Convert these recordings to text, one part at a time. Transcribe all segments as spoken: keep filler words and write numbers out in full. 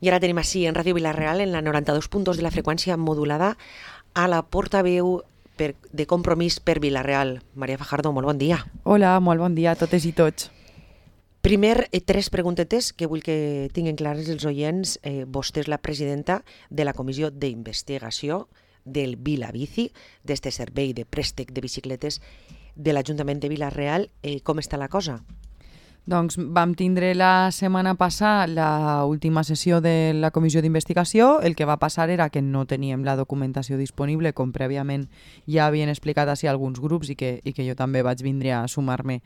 I ara tenim així en Ràdio Vila-real, en la noranta-dos punt dos de la freqüència modulada, a la portaveu per, de Compromís per Vila-real. Maria Fajardo, molt bon dia. Hola, molt bon dia a totes i tots. Primer, eh, tres preguntetes que vull que tinguin clares els oients. Eh, vostè és la presidenta de la Comissió d'Investigació del Vilabici, d'este servei de préstec de bicicletes de l'Ajuntament de Vila-real. Eh, com està la cosa? Doncs vam tindre la setmana passada l'última sessió de la comissió d'investigació. El que va passar era que no teníem la documentació disponible, com prèviament ja havien explicat així alguns grups i que, i que jo també vaig vindre a sumar-me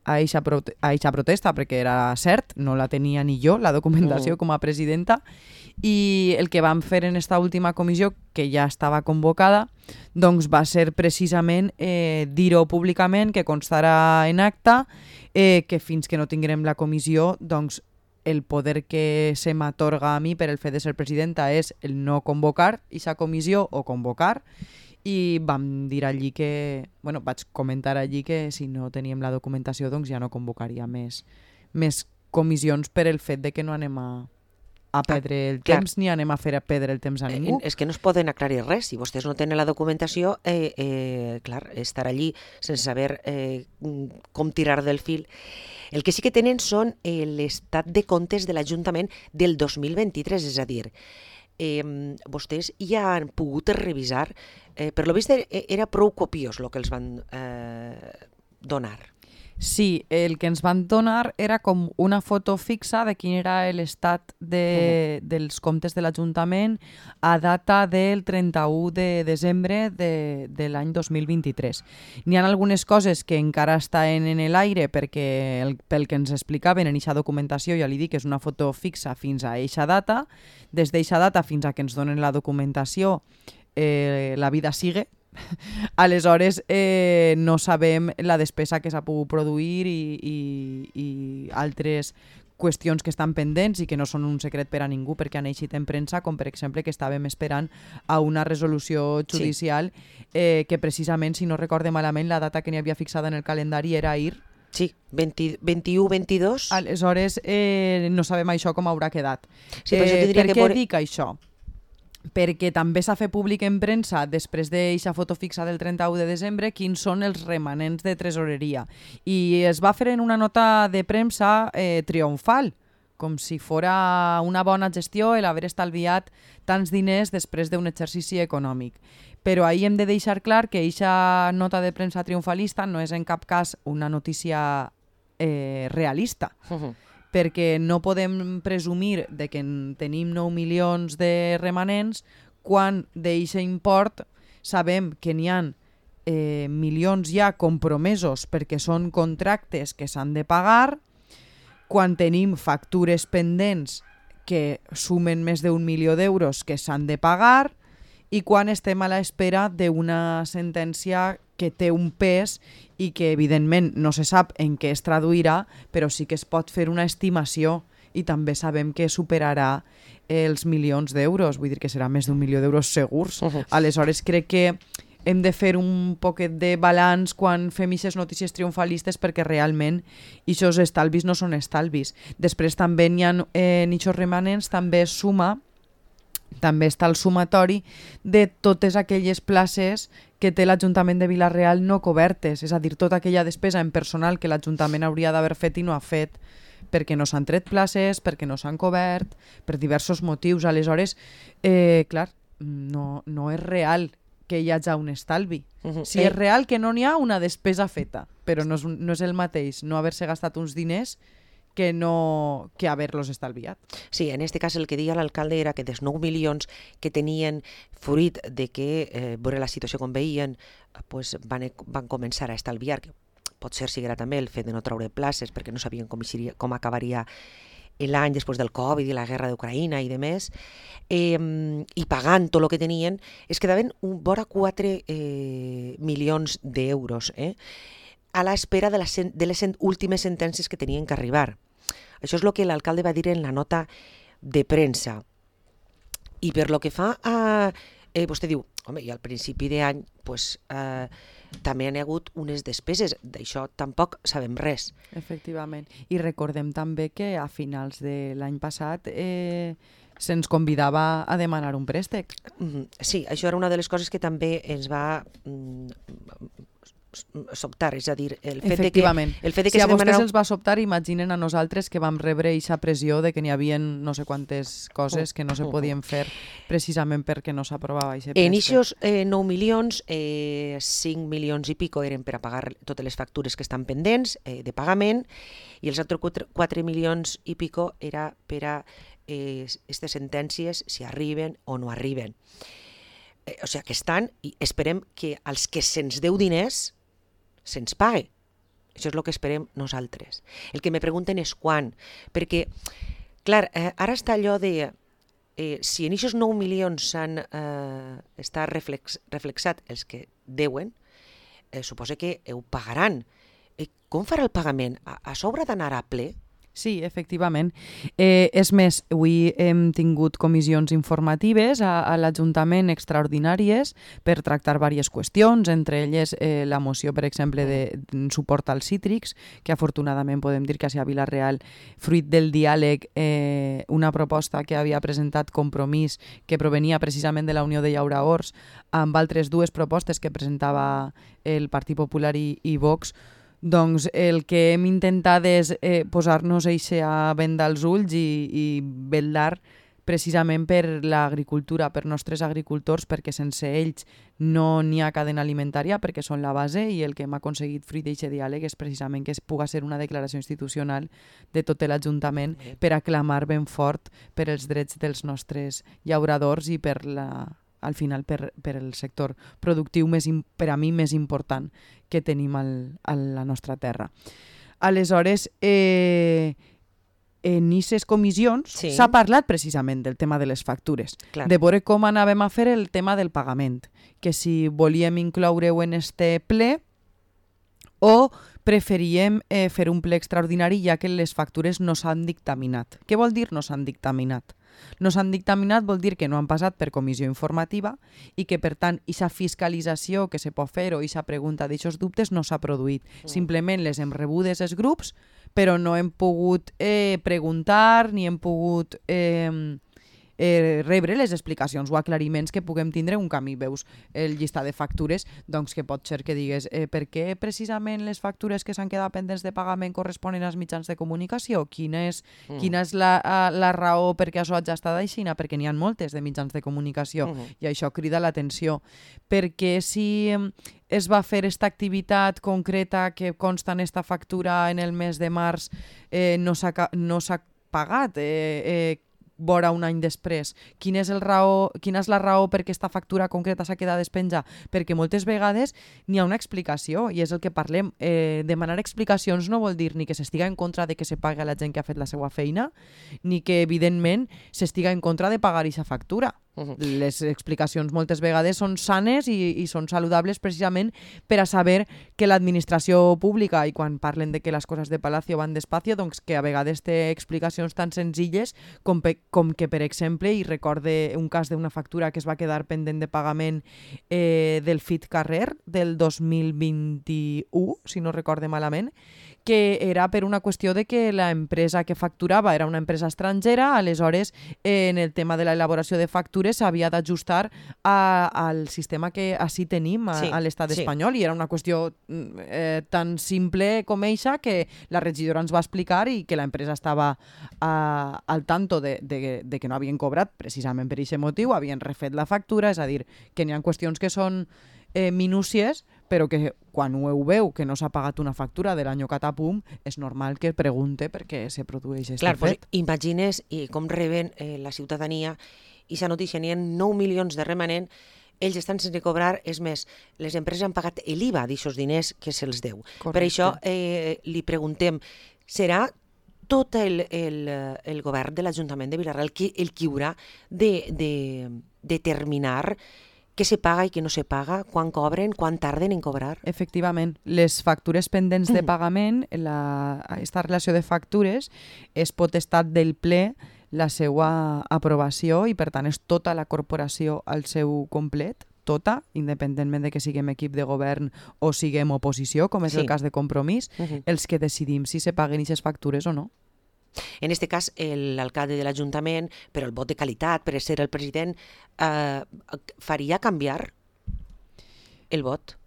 a eixa prote protesta, perquè era cert, no la tenia ni jo, la documentació, com a presidenta. I el que vam fer en esta última comissió, que ja estava convocada, doncs va ser precisament eh, dir-ho públicament, que constarà en acta, eh, que fins que no tinguem la comissió, doncs el poder que se m'atorga a mi per el fet de ser presidenta és el no convocar aquesta comissió o convocar. I vam dir allí que, bueno, vaig comentar allí que si no teníem la documentació doncs ja no convocaria més, més comissions per el fet de que no anem a, a perdre el ah, temps ni anem a fer a perdre el temps a ningú. Eh, és que no es poden aclarir res. Si vostès no tenen la documentació, eh, eh, clar, estar allí sense saber eh, com tirar del fil. El que sí que tenen són eh, l'estat de comptes de l'Ajuntament del dos mil vint-i-tres, és a dir, eh, vostès ja han pogut revisar, eh, per lo vist era prou copiós el que els van eh, donar. Sí, el que ens van donar era com una foto fixa de quin era l'estat de, uh-huh. dels comptes de l'Ajuntament a data del trenta-u de desembre de, de l'any dos mil vint-i-tres. N'hi ha algunes coses que encara estan en l'aire perquè el, pel que ens explicaven en eixa documentació, ja li dic, és una foto fixa fins a eixa data. Des d'eixa data fins a que ens donen la documentació, eh, la vida sigue. Aleshores eh, no sabem la despesa que s'ha pogut produir i, i, i altres qüestions que estan pendents i que no són un secret per a ningú perquè han eixit en premsa, com per exemple que estàvem esperant a una resolució judicial, sí. eh, que precisament, si no recorde malament, la data que n'hi havia fixada en el calendari era ahir. Sí, vint-i-u vint-i-dos. Aleshores eh, no sabem això com haurà quedat. Sí, per, eh, per que què por... dic això? Perquè també s'ha fet públic en premsa, després d'eixa foto fixa del trenta-u de desembre, quins són els remanents de tresoreria. I es va fer en una nota de premsa eh, triomfal, com si fora una bona gestió el haver estalviat tants diners després d'un exercici econòmic. Però ahir hem de deixar clar que eixa nota de premsa triomfalista no és en cap cas una notícia eh, realista. Uh-huh. Perquè no podem presumir de que tenim nou milions de remanents quan d'eixe import sabem que n'hi ha eh, milions ja compromesos perquè són contractes que s'han de pagar, quan tenim factures pendents que sumen més d'un milió d'euros que s'han de pagar i quan estem a l'espera d'una sentència que té un pes i que evidentment no se sap en què es traduirà, però sí que es pot fer una estimació i també sabem que superarà els milions d'euros, vull dir que serà més d'un milió d'euros segurs. Uh-huh. Aleshores crec que hem de fer un poquet de balanç quan fem aquestes notícies triomfalistes perquè realment aquests estalvis no són estalvis. Després també n'hi ha eh, en aquests remanents, també es suma també està el sumatori de totes aquelles places que té l'Ajuntament de Vila-real no cobertes, és a dir, tota aquella despesa en personal que l'Ajuntament hauria d'haver fet i no ha fet, perquè no s'han tret places, perquè no s'han cobert, per diversos motius. Aleshores, eh, clar, no, no és real que hi hagi un estalvi. Uh-huh. Si és real que no n'hi ha una despesa feta, però no és, un, no és el mateix no haver-se gastat uns diners que no que haver-los estalviat. Sí, en aquest cas el que deia l'alcalde era que dels nou milions que tenien fruit de que, eh, veure la situació com veien, pues van, van començar a estalviar, que pot ser siguera també el fet de no treure places perquè no sabien com, ixiria, com acabaria l'any després del Covid i la guerra d'Ucraïna i de més, eh, i pagant tot el que tenien, es quedaven un vora quatre eh, milions d'euros, eh? a l'espera de, la, de les últimes sentències que tenien que arribar. Això és el que l'alcalde va dir en la nota de premsa. I per lo que fa a... Eh, vostè diu, home, i al principi d'any pues, eh, també han hagut unes despeses, d'això tampoc sabem res. Efectivament. I recordem també que a finals de l'any passat eh, se'ns convidava a demanar un préstec. Sí, això era una de les coses que també ens va sobtar, és a dir, el fet de que, el fet de que si a se vostès demanara... els va sobtar, imaginen a nosaltres que vam rebre aquesta pressió de que n'hi havia no sé quantes coses que no se podien fer precisament perquè no s'aprovava aquest préstec. En aquests eh, nou milions, eh, cinc milions i pico eren per a pagar totes les factures que estan pendents eh, de pagament, i els altres quatre milions i pico era per a aquestes eh, sentències, si arriben o no arriben. Eh, o sigui, que estan, i esperem que als que se'ns deu diners se'ns pague. Això és el que esperem nosaltres. El que me pregunten és quan, perquè, clar, eh, ara està allò de eh, si en aquests nou milions s'han eh, està reflex, reflexat els que deuen, eh, suposa que ho pagaran. Eh, com farà el pagament? A, a sobre d'anar a ple? Sí, efectivament. Eh, és més, avui hem tingut comissions informatives a, a l'Ajuntament extraordinàries per tractar diverses qüestions, entre elles eh, la moció, per exemple, de suport als cítrics, que afortunadament podem dir que a Vila-real, fruit del diàleg, eh, una proposta que havia presentat Compromís, que provenia precisament de la Unió de Llauraors, amb altres dues propostes que presentava el Partit Popular i, i Vox, doncs el que hem intentat és eh, posar-nos eixa venda als ulls i, i vetllar precisament per l'agricultura, per nostres agricultors, perquè sense ells no n'hi ha cadena alimentària, perquè són la base, i el que hem aconseguit fruit d'aquest diàleg és precisament que es puga ser una declaració institucional de tot l'Ajuntament per a clamar ben fort per els drets dels nostres llauradors i per la... al final per, per el sector productiu més, per a mi més important que tenim al, a la nostra terra. Aleshores, eh, en aquestes comissions sí. s'ha parlat precisament del tema de les factures, Clar. de veure com anàvem a fer el tema del pagament, que si volíem incloure-ho en este ple o preferíem eh, fer un ple extraordinari ja que les factures no s'han dictaminat. Què vol dir no s'han dictaminat? No s'han dictaminat vol dir que no han passat per comissió informativa i que, per tant, aquesta fiscalització que se pot fer o aquesta pregunta d'aixòs dubtes no s'ha produït. Mm. Simplement les hem rebudes els grups, però no hem pogut eh, preguntar ni hem pogut eh, eh, rebre les explicacions o aclariments que puguem tindre un camí. Veus el llistat de factures, doncs que pot ser que digues eh, per què precisament les factures que s'han quedat pendents de pagament corresponen als mitjans de comunicació? Quina és, mm. quina és la, la raó perquè això hagi estat així? Perquè n'hi ha moltes de mitjans de comunicació mm. i això crida l'atenció. Perquè si es va fer aquesta activitat concreta que consta en esta factura en el mes de març, eh, no s'ha no s'ha pagat, eh, eh, vora un any després. Quina és, el raó, quina és la raó perquè aquesta factura concreta s'ha quedat despenja? Perquè moltes vegades n'hi ha una explicació i és el que parlem. Eh, demanar explicacions no vol dir ni que s'estiga en contra de que se pagui a la gent que ha fet la seva feina, ni que, evidentment, s'estiga en contra de pagar aquesta factura. Uh-huh. Les explicacions moltes vegades són sanes i, i són saludables precisament per a saber que l'administració pública, i quan parlen de que les coses de Palacio van despacio, doncs que a vegades té explicacions tan senzilles com, pe, com que, per exemple, i recorde un cas d'una factura que es va quedar pendent de pagament eh, del Fit Carrer del dos mil vint-i-u, si no recorde malament, que era per una qüestió de que l'empresa que facturava era una empresa estrangera, aleshores eh, en el tema de l'elaboració de factures s'havia d'ajustar al sistema que així tenim a, sí, a l'estat sí. espanyol, i era una qüestió eh, tan simple com eixa que la regidora ens va explicar i que l'empresa estava a, al tanto de, de, de que no havien cobrat precisament per aquest motiu, havien refet la factura, és a dir, que n'hi ha qüestions que són eh, minúcies, però que quan ho veu que no s'ha pagat una factura de l'any catapum, és normal que pregunte per què se produeix aquest Clar, fet. Pues, imagines i com reben eh, la ciutadania i aquesta notícia, n'hi ha nou milions de remanent, ells estan sense cobrar, és més, les empreses han pagat l'I V A d'aixòs diners que se'ls deu. Correcte. Per això eh, li preguntem, serà tot el, el, el govern de l'Ajuntament de Vila-real el qui, el qui haurà de, de determinar què se paga i què no se paga, quan cobren, quan tarden en cobrar? Efectivament, les factures pendents de pagament, la, aquesta relació de factures és potestat del ple la seva aprovació i, per tant, és tota la corporació al seu complet, tota, independentment de que siguem equip de govern o siguem oposició, com és sí. el cas de Compromís, uh-huh. els que decidim si se paguen aquestes factures o no. En aquest cas, l'alcalde de l'Ajuntament, per el vot de qualitat, per ser el president, eh, faria canviar el vot?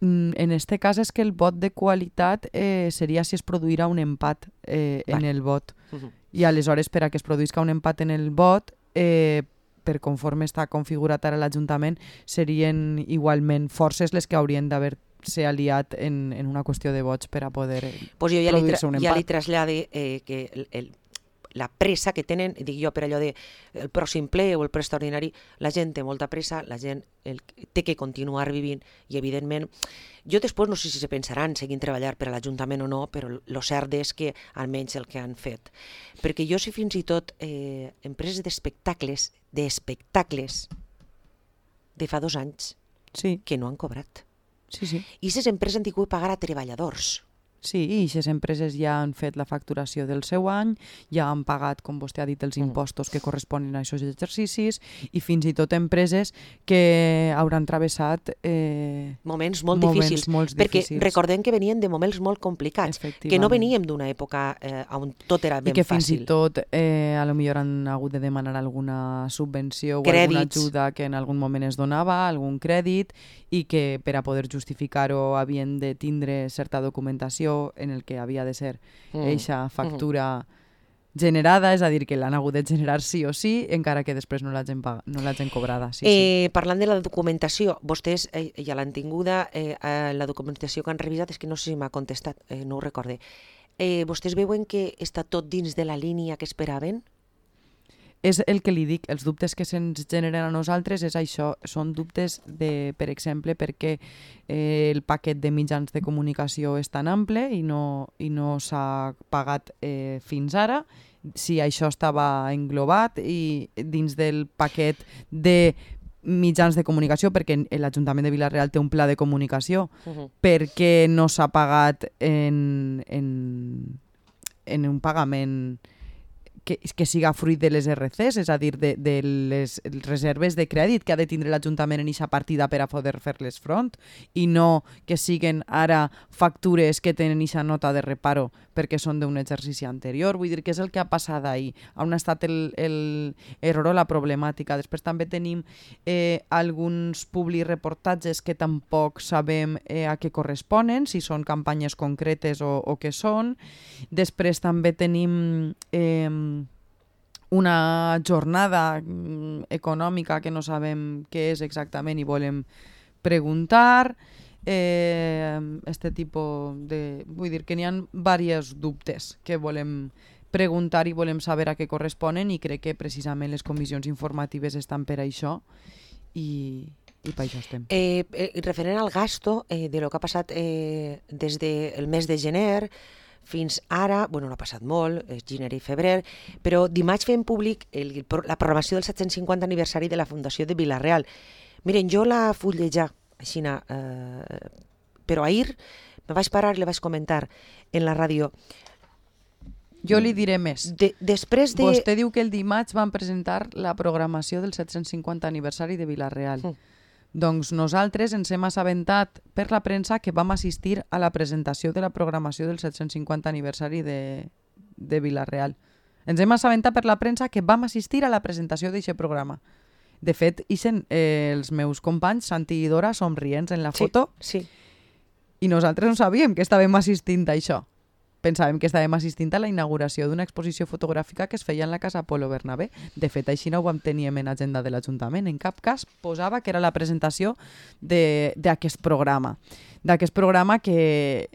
En este cas és que el vot de qualitat eh, seria si es produirà un empat eh, en Vale. el vot. Uh-huh. I aleshores, per a que es produïsca un empat en el vot, eh, per conforme està configurat ara l'Ajuntament, serien igualment forces les que haurien d'haver-se aliat en, en una qüestió de vots per a poder pues jo ja li, produir-se un tra ja li empat. trasllade eh, que el, el, la pressa que tenen, dic jo per allò de el pròxim ple o el ple extraordinari, la gent té molta pressa, la gent el, té que continuar vivint i evidentment, jo després no sé si se pensaran seguint treballar per a l'Ajuntament o no, però el cert és que almenys el que han fet. Perquè jo sé fins i tot eh, empreses d'espectacles, d'espectacles de fa dos anys Sí, que no han cobrat. sí, sí. I aquestes empreses han tingut que pagar a treballadors. Sí, i aquestes empreses ja han fet la facturació del seu any, ja han pagat, com vostè ha dit, els impostos que corresponen a aquests exercicis i fins i tot empreses que hauran travessat eh, Moments molt moments difícils. molt Perquè difícils. recordem que venien de moments molt complicats, que no Efectivament. veníem d'una època eh, on tot era I ben que fins fàcil. i tot eh, a lo millor han hagut de demanar alguna subvenció o Crèdits. alguna ajuda que en algun moment es donava, algun crèdit, i que per a poder justificar-ho havien de tindre certa documentació en el que havia de ser eixa factura generada, és a dir, que l'han hagut de generar sí o sí, encara que després no l'hagin no l'hagin cobrada. Sí, eh, parlant de la documentació, vostès eh, ja l'han tinguda, eh, la documentació que han revisat, és que no sé si m'ha contestat, eh, no ho recorde. Eh, vostès veuen que està tot dins de la línia que esperaven? És el que li dic, els dubtes que se'ns generen a nosaltres és això, són dubtes, de, per exemple, perquè eh, el paquet de mitjans de comunicació és tan ample i no, i no s'ha pagat eh, fins ara, si això estava englobat i dins del paquet de mitjans de comunicació, perquè l'Ajuntament de Vila-real té un pla de comunicació, Uh-huh. perquè no s'ha pagat en, en, en un pagament que, que siga fruit de les R Cs, és a dir, de, de les reserves de crèdit que ha de tindre l'Ajuntament en aquesta partida per a poder fer-les front, i no que siguen ara factures que tenen aquesta nota de reparo perquè són d'un exercici anterior. Vull dir que és el que ha passat ahir, on ha estat l'error o la problemàtica. Després també tenim eh, alguns publireportatges que tampoc sabem eh, a què corresponen, si són campanyes concretes o, o què són. Després també tenim eh, una jornada mm, econòmica que no sabem què és exactament i volem preguntar. Eh, este tipus de... Vull dir que n'hi ha diversos dubtes que volem preguntar i volem saber a què corresponen, i crec que precisament les comissions informatives estan per això i, i per això estem. Eh, eh, referent al gasto eh, de lo que ha passat eh, des del mes de gener fins ara, bueno, no ha passat molt, és gener i febrer, però dimarts fem públic el, la programació del set-cents cinquanta aniversari de la Fundació de Vila-real. Miren, jo la fullejar, així, eh, però ahir me vaig parar i le vaig comentar en la ràdio. Jo li diré més. De, després de... Vostè diu que el dimarts van presentar la programació del set-cents cinquanta aniversari de Vila-real. Mm. Doncs nosaltres ens hem assabentat per la premsa que vam assistir a la presentació de la programació del set-cents cinquanta aniversari de, de Vila-real. Ens hem assabentat per la premsa que vam assistir a la presentació d'aquest programa. De fet, ixen eh, els meus companys, Santi i Dora, somrients en la foto, sí, sí. I nosaltres no sabíem que estàvem assistint a això. Pensàvem que estàvem assistint a la inauguració d'una exposició fotogràfica que es feia en la Casa Polo Bernabé. De fet, així no ho vam tenir en agenda de l'Ajuntament. En cap cas posava que era la presentació d'aquest programa. D'aquest programa que,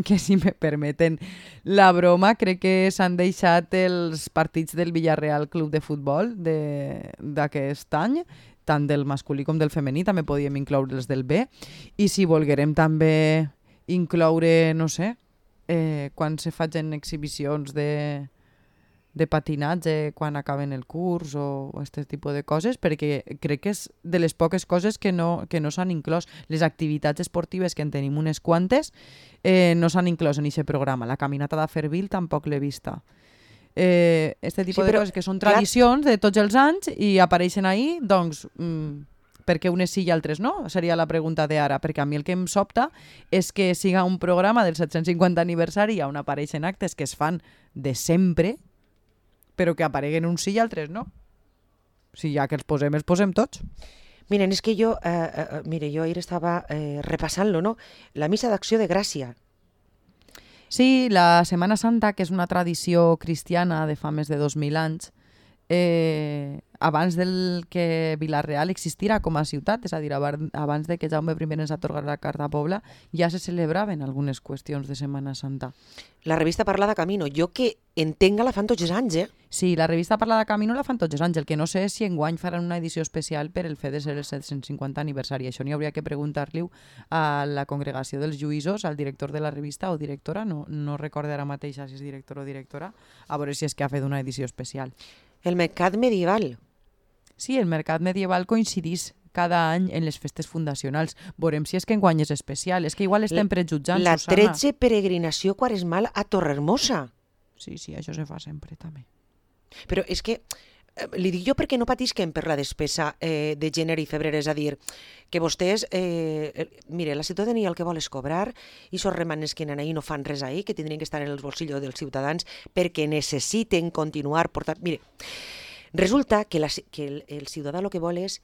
que, si me permeten la broma, crec que s'han deixat els partits del Villarreal Club de Futbol d'aquest any, tant del masculí com del femení, també podíem incloure els del B. I si volguérem també incloure, no sé, Eh, quan se facin exhibicions de, de patinatge quan acaben el curs o aquest tipus de coses, perquè crec que és de les poques coses que no, que no s'han inclòs. Les activitats esportives, que en tenim unes quantes, eh, no s'han inclòs en aquest programa. La caminata de Fervil tampoc l'he vista. Eh, este tipus sí, de coses que són tradicions clar... de tots els anys i apareixen ahir, doncs... Mm, Per què unes sí i altres no? Seria la pregunta d'ara, perquè a mi el que em sobta és que siga un programa del set-cents cinquanta aniversari on apareixen actes que es fan de sempre, però que apareguen uns sí i altres no. Si ja que els posem, els posem tots. Miren, és que jo, eh, eh, mire, jo ahir estava eh, repassant-lo, no? La missa d'acció de Gràcia. Sí, la Setmana Santa, que és una tradició cristiana de fa més de dos mil anys, eh, abans del que Vila-real existira com a ciutat, és a dir, abans de que Jaume primer ens atorgara la Carta Pobla, ja se celebraven algunes qüestions de Setmana Santa. La revista Parla de Camino, jo que entenga la fan tots els anys, eh? Sí, la revista Parla de Camino la fan tots els anys, el que no sé és si enguany faran una edició especial per el fet de ser el set-cents cinquanta aniversari. Això n'hi hauria que preguntar-li a la congregació dels lluïsos, al director de la revista o directora, no, no recordo ara mateix si és director o directora, a veure si és que ha fet una edició especial. El mercat medieval. Sí, el mercat medieval coincidís cada any en les festes fundacionals. Veurem si és que enguany és especial. És que igual estem prejutjant, la Susana. La tretze peregrinació quaresmal a Torrehermosa. Sí, sí, això se fa sempre també. Però és que, eh, li dic jo perquè no patisquen per la despesa eh, de gener i febrer, és a dir, que vostès, eh, mire, la ciutadania el que vol és cobrar i sos remanents que anen ahí no fan res ahí, que tindrien que estar en els bolsillos dels ciutadans perquè necessiten continuar portant... Mire, resulta que, la, que el, el ciutadà el que vol és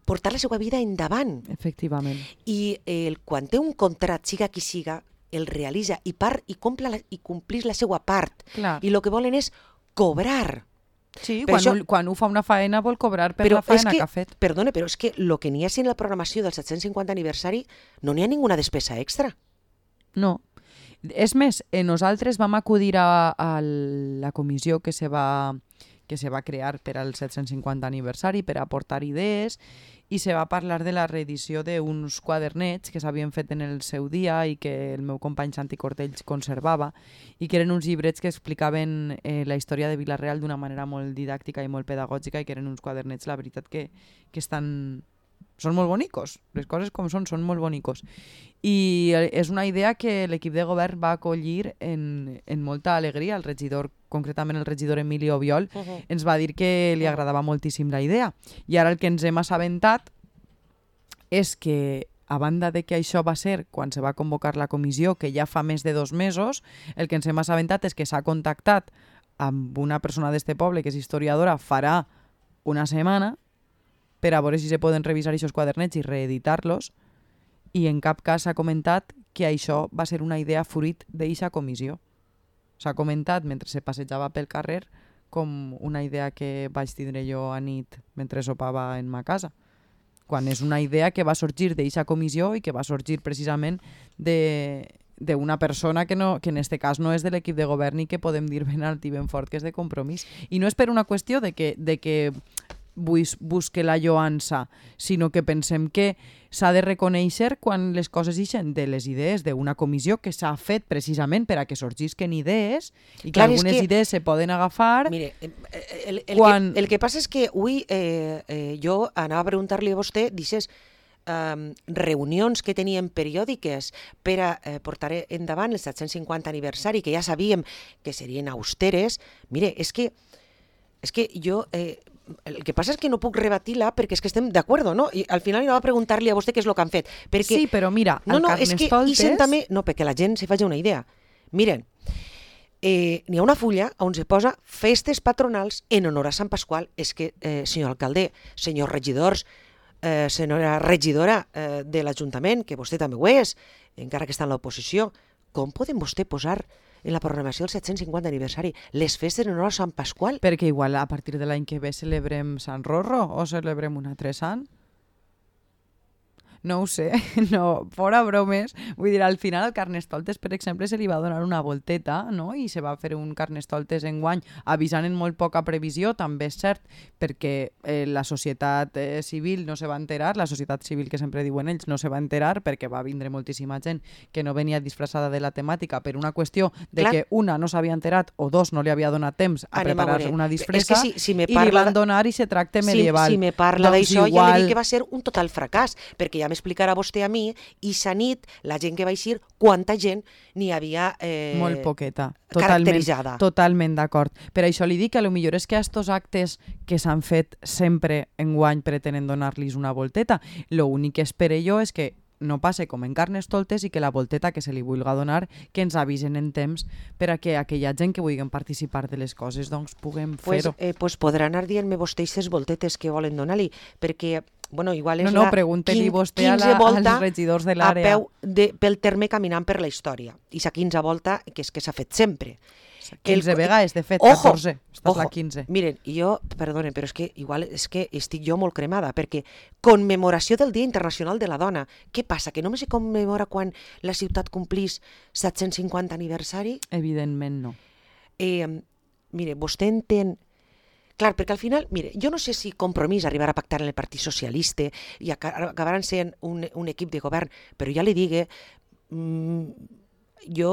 portar la seva vida endavant. Efectivament. I el, quan té un contrat, siga qui siga, el realitza i, part, i, la, i complís la seva part. Clar. I el que volen és cobrar. Sí, quan, això, ho, quan ho fa una faena vol cobrar per la faena que, que ha fet. Perdone, però és que el que n'hi ha en la programació del set-cents cinquanta aniversari no n'hi ha ninguna despesa extra. No. És més, eh, nosaltres vam acudir a, a la comissió que se va... que se va crear per al set-cents cinquanta aniversari per aportar idees i se va parlar de la reedició d'uns quadernets que s'havien fet en el seu dia i que el meu company Santi Cortells conservava i que eren uns llibrets que explicaven eh, la història de Vila-real d'una manera molt didàctica i molt pedagògica i que eren uns quadernets, la veritat, que, que estan... són molt bonicos, les coses com són, són molt bonicos. I és una idea que l'equip de govern va acollir en, en molta alegria. El regidor, concretament el regidor Emili Obiol, uh-huh. ens va dir que li agradava moltíssim la idea. I ara el que ens hem assabentat és que, a banda de que això va ser quan se va convocar la comissió, que ja fa més de dos mesos, el que ens hem assabentat és que s'ha contactat amb una persona d'este poble, que és historiadora, farà una setmana, per a veure si se poden revisar aquests quadernets i reeditar-los, i en cap cas s'ha comentat que això va ser una idea fruit d'eixa comissió. S'ha comentat mentre se passejava pel carrer com una idea que vaig tindre jo a nit mentre sopava en ma casa, quan és una idea que va sorgir d'eixa comissió i que va sorgir precisament de... d'una persona que, no, que en este cas no és de l'equip de govern i que podem dir ben alt i ben fort que és de Compromís. I no és per una qüestió de que, de que bus, busque la lloança, sinó que pensem que s'ha de reconèixer quan les coses ixen de les idees d'una comissió que s'ha fet precisament per a que sorgisquen idees i que Clar, algunes que, idees se poden agafar. Mire, el, el, quan... que, el que passa és que avui eh, eh, jo anava a preguntar-li a vostè, dices, Um, reunions que teníem periòdiques per a eh, portar endavant el set-cents cinquanta aniversari, que ja sabíem que serien austeres. Mire, és que, és que jo... Eh, el que passa és que no puc rebatir-la perquè és que estem d'acord, no? I al final anava a preguntar-li a vostè què és el que han fet. Perquè... Sí, però mira, no, el no, Carnestoltes... És que també... No, perquè la gent se faci una idea. Miren, eh, n'hi ha una fulla on se posa festes patronals en honor a Sant Pasqual. És que, eh, senyor alcalde, senyors regidors, Eh, senyora regidora eh, de l'Ajuntament, que vostè també ho és, encara que està en l'oposició, com podem vostè posar en la programació del set-cents cinquanta aniversari les festes en honor a Sant Pasqual? Perquè igual a partir de l'any que ve celebrem Sant Rorro o celebrem un altre sant? No ho sé, no, fora bromes. Vull dir, al final al Carnestoltes, per exemple, se li va donar una volteta, no? I se va fer un Carnestoltes enguany, avisant en molt poca previsió, també és cert, perquè eh, la societat eh, civil no se va enterar, la societat civil que sempre diuen ells no se va enterar perquè va vindre moltíssima gent que no venia disfressada de la temàtica per una qüestió de Clar. que una no s'havia enterat o dos no li havia donat temps a Anem preparar a una disfressa si, si i li van donar i se tracte medieval. Si, si me parla doncs d'això, igual... ja li dic que va ser un total fracàs, perquè ja explicar a vostè a mi, i sa nit, la gent que va eixir, quanta gent n'hi havia eh, molt poqueta. Caracteritzada. Totalment, totalment d'acord. Per això li dic que potser és que a estos actes que s'han fet sempre enguany pretenen donar-los una volteta. L'únic que espero jo és que no passe com en Carnestoltes i que la volteta que se li vulga donar que ens avisen en temps per a que aquella gent que vulguin participar de les coses doncs puguem pues, fer-ho. Eh, pues podrà anar dient-me vostè aquestes voltetes que volen donar-li, perquè bueno, igual és no, no, la pregunte-li vostè a la, als regidors de l'àrea. A peu de, pel terme caminant per la història. I sa quinze volta, que és que s'ha fet sempre. quinze el, vegades, de fet, ojo, catorze. Esta ojo, és la quinze. Miren, jo, perdone, però és que igual és que estic jo molt cremada, perquè commemoració del Dia Internacional de la Dona. Què passa? Que només se commemora quan la ciutat complís set-cents cinquanta aniversari? Evidentment no. Eh, mire, vostè entén... Clar, perquè al final, mire, jo no sé si Compromís arribarà a pactar en el Partit Socialista i acabaran sent un, un equip de govern, però ja li digue, mmm, jo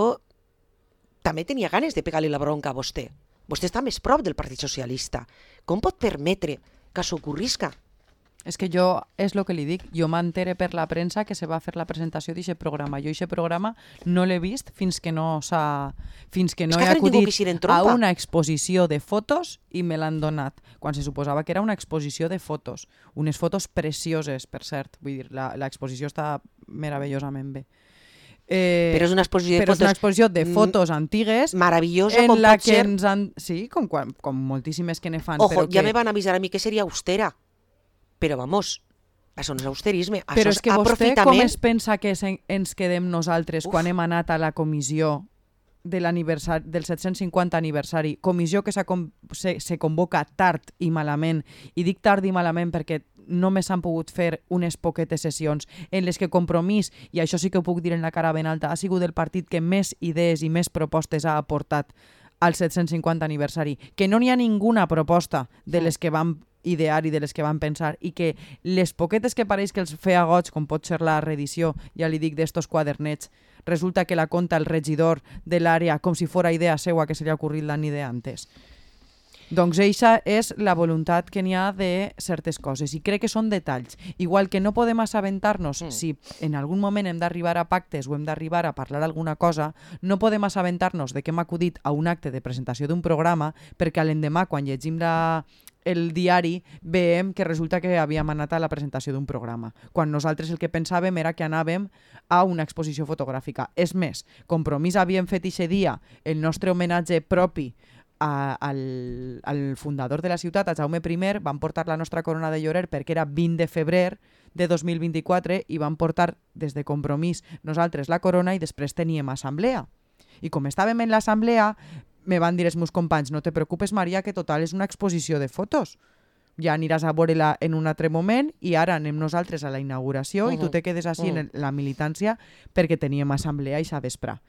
també tenia ganes de pegar-li la bronca a vostè. Vostè està més prop del Partit Socialista. Com pot permetre que s'ocorrisca? És que jo, és el que li dic, jo m'entere per la premsa que se va fer la presentació d'aquest programa. Jo aquest programa no l'he vist fins que no s'ha... fins que no que he acudit a una exposició de fotos i me l'han donat, quan se suposava que era una exposició de fotos. Unes fotos precioses, per cert. Vull dir, l'exposició està meravellosament bé. Eh, però és una exposició de però fotos, és una exposició de fotos antigues meravellosa, en com la pot que ser... ens han... Sí, com, com moltíssimes que ne fan. Ojo, però ja que... me van avisar a mi que seria austera. Però vamos, això no és austerisme, això però és, és que vostè aprofitament. com es pensa que ens quedem nosaltres Uf. quan hem anat a la comissió de del set-cents cinquanta aniversari, comissió que se, se convoca tard i malament, i dic tard i malament perquè només s'han pogut fer unes poquetes sessions en les que Compromís, i això sí que ho puc dir en la cara ben alta, ha sigut el partit que més idees i més propostes ha aportat al set-cents cinquanta aniversari, que no n'hi ha ninguna proposta de les que van idear i de les que van pensar, i que les poquetes que pareix que els feia goig, com pot ser la reedició, ja li dic, d'estos quadernets, resulta que la conta el regidor de l'àrea com si fora idea seua que se li ha ocorrit l'any de antes. Doncs eixa és la voluntat que n'hi ha de certes coses, i crec que són detalls. Igual que no podem assabentar-nos mm. si en algun moment hem d'arribar a pactes o hem d'arribar a parlar alguna cosa, no podem assabentar-nos de que hem acudit a un acte de presentació d'un programa perquè l'endemà, quan llegim la... el diari, veiem que resulta que havíem anat a la presentació d'un programa, quan nosaltres el que pensàvem era que anàvem a una exposició fotogràfica. És més, Compromís havíem fet eixe dia el nostre homenatge propi a, al, al fundador de la ciutat, a Jaume primer, van portar la nostra corona de llorer perquè era vint de febrer de dos mil vint-i-quatre i van portar des de Compromís nosaltres la corona i després teníem assemblea. I com estàvem en l'assemblea, me van dir els meus companys, no te preocupes, Maria, que total és una exposició de fotos. Ja aniràs a veure-la en un altre moment i ara anem nosaltres a la inauguració uh-huh. i tu te quedes així uh-huh. en la militància perquè teníem assemblea i s'ha vesprar.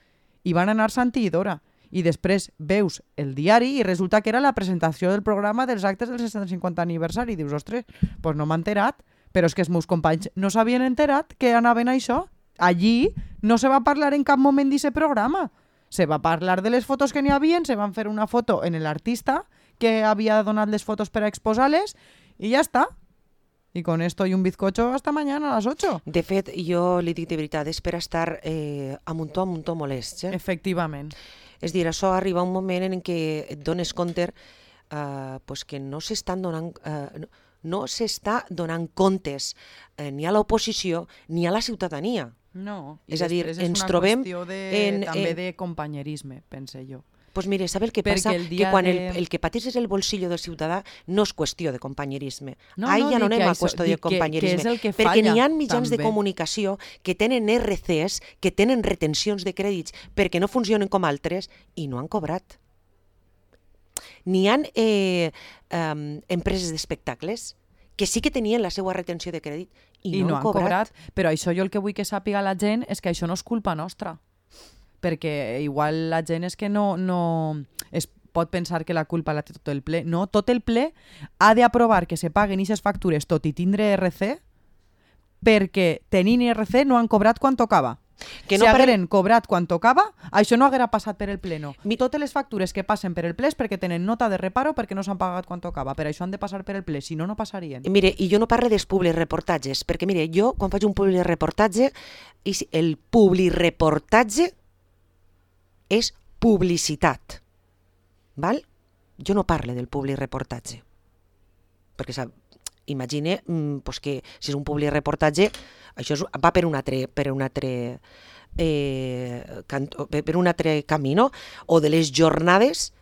I van anar Santi i Dora. I després veus el diari i resulta que era la presentació del programa dels actes del set-cents cinquanta aniversari. I dius, ostres, doncs no m'ha enterat. Però és que els meus companys no s'havien enterat que anaven a això. Allí no se va parlar en cap moment d'aquest programa. Se va parlar de les fotos que n'hi havia, se van fer una foto en l'artista que havia donat les fotos per a exposar-les i ja està. I con esto y un bizcocho hasta mañana a las ocho. De fet, jo li dic de veritat, és per estar eh, amb un to, amb un to molest. Eh? Efectivament. És dir, això arriba un moment en què et dones compte eh, pues que no s'estan donant... Eh, no, no s'està donant comptes eh, ni a l'oposició ni a la ciutadania. No, i és a dir, és ens una trobem qüestió de, en, també en... de companyerisme, pense jo. Pues mire, ¿sabe el que Perquè passa? El que quan de... el, el que pateixes el bolsillo del ciutadà no és qüestió de companyerisme. No, Ahí no, ja no anem a això, qüestió de companyerisme. Que, que és el que perquè falla, n'hi ha mitjans també. de comunicació que tenen erre ces, que tenen retencions de crèdits perquè no funcionen com altres i no han cobrat. N'hi ha eh, um, empreses d'espectacles que sí que tenien la seva retenció de crèdit i, I no, no han cobrat. cobrat. Però això jo el que vull que sàpiga la gent és que això no és culpa nostra. Perquè igual la gent és que no, no es pot pensar que la culpa la té tot el ple. No, tot el ple ha d'aprovar que se paguen aquestes factures tot i tindre erre ce perquè tenint erre ce no han cobrat quan tocava. Que si no parle- hagueren cobrat quan tocava, això no haguera passat per el pleno. Mi- Totes les factures que passen per el ple és perquè tenen nota de reparo perquè no s'han pagat quan tocava. Per això han de passar per el ple, si no, no passarien. Mire, i jo no parlo dels publireportatges, perquè mire, jo quan faig un publireportatge, és- el publireportatge és publicitat, val? Jo no parlo del publireportatge, perquè sap, imagine mm, pues que si és un publireportatge, això és, va per un altre, per un altre eh, canto, per un altre camí, no? O de les jornades,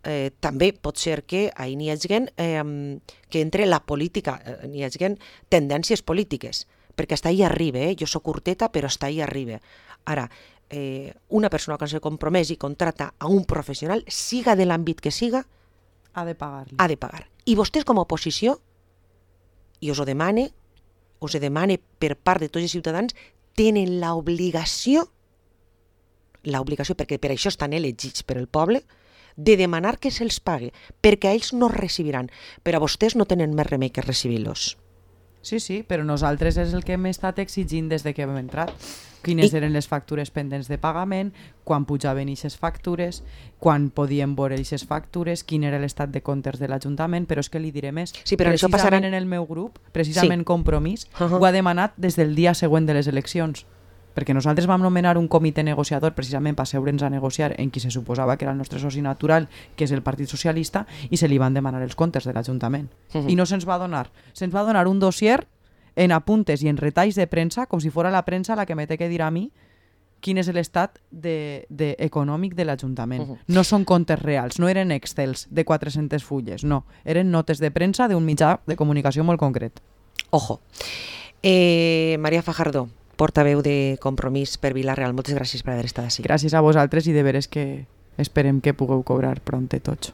eh, també pot ser que ahir n'hi hagi eh, que entre la política, eh, n'hi hagi tendències polítiques, perquè està ahí arriba, eh? Jo soc curteta, però està ahí arriba. Ara, eh, una persona que se compromès i contrata a un professional, siga de l'àmbit que siga, Ha de pagar-li. ha de pagar. I vostès com a oposició, i us ho demane, us ho demane per part de tots els ciutadans, tenen l'obligació, l'obligació, perquè per això estan elegits per el poble, de demanar que se'ls pague, perquè a ells no recibiran, però a vostès no tenen més remei que recibir-los. Sí, sí, però nosaltres és el que hem estat exigint des de que hem entrat. Quines I- eren les factures pendents de pagament, quan pujaven aquestes factures, quan podíem veure aquestes factures, quin era l'estat de comptes de l'Ajuntament, però és que li diré més. Sí, però això Precisament passarà- en el meu grup, precisament Sí. Compromís, Uh-huh. ho ha demanat des del dia següent de les eleccions. Perquè nosaltres vam nomenar un comitè negociador precisament per asseure'ns a negociar en qui se suposava que era el nostre soci natural, que és el Partit Socialista, i se li van demanar els comptes de l'Ajuntament. Mhm. I no se'ns va donar. Se'ns va donar un dossier en apuntes i en retalls de premsa, com si fora la premsa la que me té que dir a mi quin és l'estat de, de econòmic de l'Ajuntament. Mhm. No són comptes reals, no eren excels de quatre-centes fulles, no. Eren notes de premsa d'un mitjà de comunicació molt concret. Ojo. Eh, Maria Fajardo, portaveu de Compromís per Vila-real, moltes gràcies per haver estat així. Gràcies a vosaltres i de veres que esperem que pugueu cobrar pront tots.